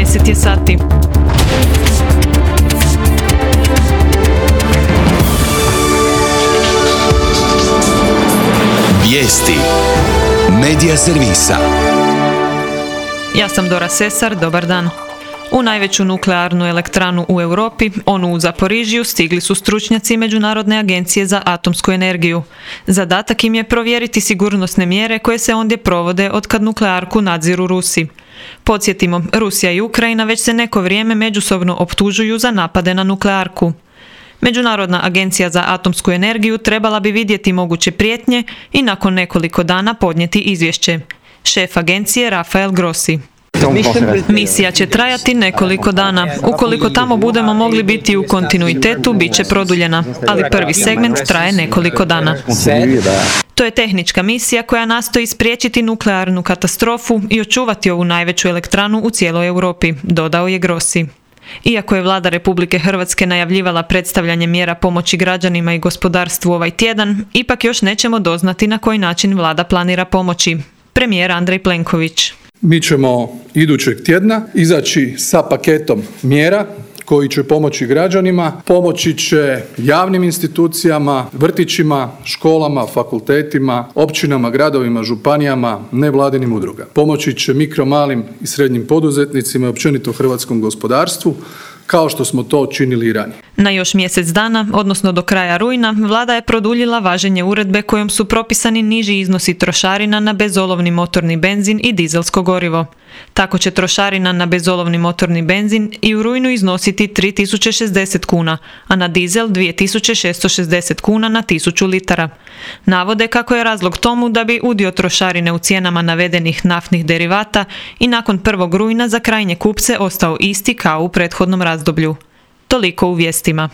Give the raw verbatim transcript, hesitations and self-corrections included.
deset je sati. Vijesti Medija servisa. Ja sam Dora Sesar, dobar dan. U najveću nuklearnu elektranu u Europi, onu u Zaporižju, stigli su stručnjaci Međunarodne agencije za atomsku energiju. Zadatak im je provjeriti sigurnosne mjere koje se ondje provode otkad nuklearku nadziru Rusi. Podsjetimo, Rusija i Ukrajina već se neko vrijeme međusobno optužuju za napade na nuklearku. Međunarodna agencija za atomsku energiju trebala bi vidjeti moguće prijetnje i nakon nekoliko dana podnijeti izvješće. Šef agencije Rafael Grossi. Misija će trajati nekoliko dana. Ukoliko tamo budemo mogli biti u kontinuitetu, bit će produljena, ali prvi segment traje nekoliko dana. To je tehnička misija koja nastoji spriječiti nuklearnu katastrofu i očuvati ovu najveću elektranu u cijeloj Europi, dodao je Grossi. Iako je vlada Republike Hrvatske najavljivala predstavljanje mjera pomoći građanima i gospodarstvu ovaj tjedan, ipak još nećemo doznati na koji način vlada planira pomoći. Premijer Andrej Plenković. Mi ćemo idućeg tjedna izaći sa paketom mjera koji će pomoći građanima, pomoći će javnim institucijama, vrtićima, školama, fakultetima, općinama, gradovima, županijama, nevladinim udrugama. Pomoći će mikro, malim i srednjim poduzetnicima i općenito hrvatskom gospodarstvu, kao što smo to činili i ranije. Na još mjesec dana, odnosno do kraja rujna, vlada je produljila važenje uredbe kojom su propisani niži iznosi trošarina na bezolovni motorni benzin i dizelsko gorivo. Tako će trošarina na bezolovni motorni benzin i u rujnu iznositi tri tisuće šezdeset kuna, a na dizel dvije tisuće šesto šezdeset kuna na tisuću litara. Navode kako je razlog tomu da bi udio trošarine u cijenama navedenih naftnih derivata i nakon prvog rujna za krajnje kupce ostao isti kao u prethodnom razdoblju. Toliko u vijestima.